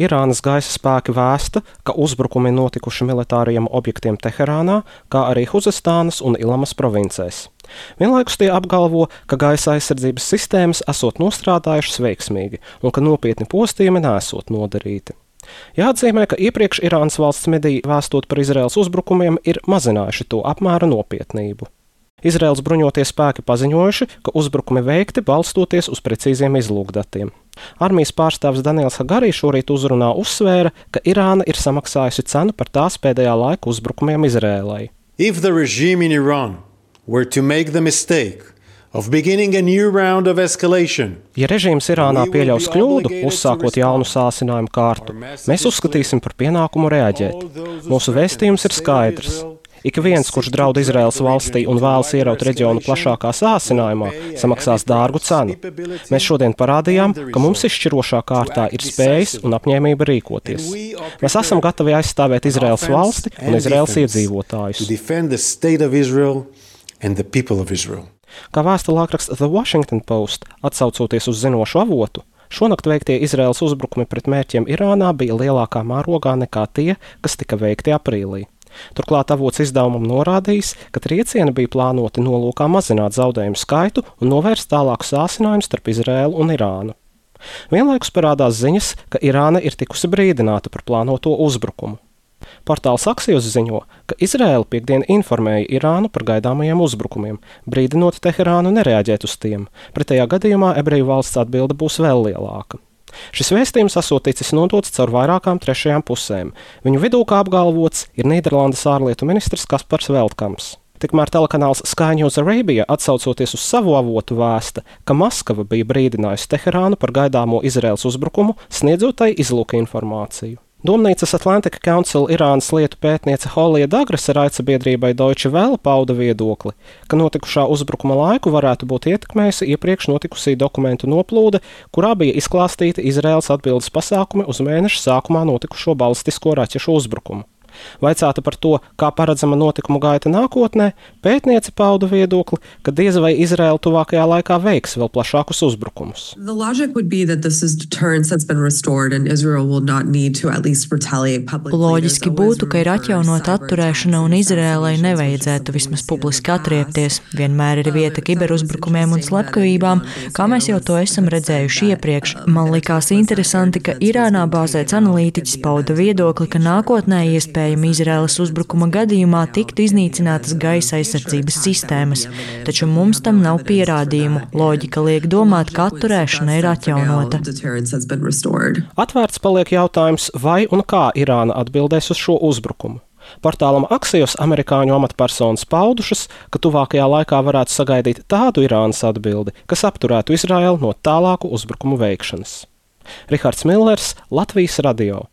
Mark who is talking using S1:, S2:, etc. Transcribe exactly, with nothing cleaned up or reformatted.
S1: Irānas gaisa spēki vēsta, ka uzbrukumi notikuši militāriem objektiem Teherānā, kā arī Huzestānas un Ilamas provincēs. Vienlaikus tie apgalvo, ka gaisa aizsardzības sistēmas esot nostrādājušas veiksmīgi un ka nopietni postījumi nesot nodarīti. Jāatzīmē, ka iepriekš Irānas valsts mediji vēstot par Izraēlas uzbrukumiem ir mazinājuši to apmēra nopietnību. Izraēlas bruņotie spēki paziņojuši, ka uzbrukumi veikti balstoties uz precīziem izlūkdatiem. Armijas pārstāvis Daniels Hagarī šorīt uzrunā uzsvēra, ka Irāna ir samaksājusi cenu par tās pēdējā laika uzbrukumiem Izraēlai.
S2: If the regime in Iran were to make the mistake of beginning a new round of escalation,
S1: Ja režīms Irānā pieļaus kļūdu, uzsākot jaunu sāsinājumu kārtu, mēs uzskatīsim par pienākumu reaģēt. Mūsu vēstījums ir skaidrs. Ik viens, kurš draud Izraēlas valstī un vēlas ieraut reģionu plašākā sāsinājumā, samaksās dārgu cenu. Mēs šodien parādījām, ka mums izšķirošā kārtā ir spējas un apņēmība rīkoties. Mēs esam gatavi aizstāvēt Izraēlas valsti un Izraēlas iedzīvotājus. Kā vēsta laikraksts The Washington Post, atsaucoties uz zinošu avotu, šonakt veiktie Izraēlas uzbrukumi pret mērķiem Irānā bija lielākā mērogā nekā tie, kas tika veikti aprīlī. Turklāt avots izdevumam norādījis, ka triecieni bija plānoti nolūkā mazināt zaudējumu skaitu un novērst tālāku sāsinājumu starp Izraēlu un Irānu. Vienlaikus parādās ziņas, ka Irāna ir tikusi brīdināta par plānoto uzbrukumu. Portāls Axios ziņo, ka Izraēla piekdien informēja Irānu par gaidāmajiem uzbrukumiem, brīdinot Teherānu nereaģēt uz tiem. Pretējā gadījumā ebreju valsts atbilde būs vēl lielāka. Šis vēstījums esot ticis nodots caur vairākām trešajām pusēm. Viņu vidū, kā apgalvots, ir Nīderlandes ārlietu ministrs Kaspars Veltkams. Tikmēr telekanāls Sky News Arabia, atsaucoties uz savu avotu, vēsta, ka Maskava bija brīdinājusi Teherānu par gaidāmo Izraēlas uzbrukumu, sniedzot tai izlūka informāciju. Domnīcas Atlantic Council Irānas lietu pētniece Holija Dagrasa raidsabiedrībai Deutsche Welle pauda viedokli, ka notikušā uzbrukuma laiku varētu būt ietekmējusi iepriekš notikusī dokumentu noplūde, kurā bija izklāstīti Izraēlas atbildes pasākumi uz mēneša sākumā notikušo balistisko raķešu uzbrukumu. Vaicāta par to, kā paredzama notikumu gaita nākotnē, pētniece pauda viedokli, ka diez vai Izraēla tuvākajā laikā veiks vēl plašākus uzbrukumus.
S3: Loģiski būtu, ka ir atjaunota atturēšana un Izraēlai nevajadzētu vismaz publiski atriepties. Vienmēr ir vieta kiberuzbrukumiem un slepkavībām, kā mēs jau to esam redzējuši iepriekš. Man likās interesanti, ka Irānā bāzēts analītiķis pauda viedokli, ka nākotnē iespējams Izraēlas uzbrukuma gadījumā tiktu iznīcinātas gaisa aizsardzības sistēmas, taču mums tam nav pierādījumu. Loģika liek domāt, ka atturēšana ir atjaunota.
S1: Atvērts paliek jautājums, vai un kā Irāna atbildēs uz šo uzbrukumu. Portālam Axios amerikāņu amatpersonas paudušas, ka tuvākajā laikā varētu sagaidīt tādu Irānas atbildi, kas apturētu Izraēlu no tālāku uzbrukumu veikšanas. Rihards Millers, Latvijas radio.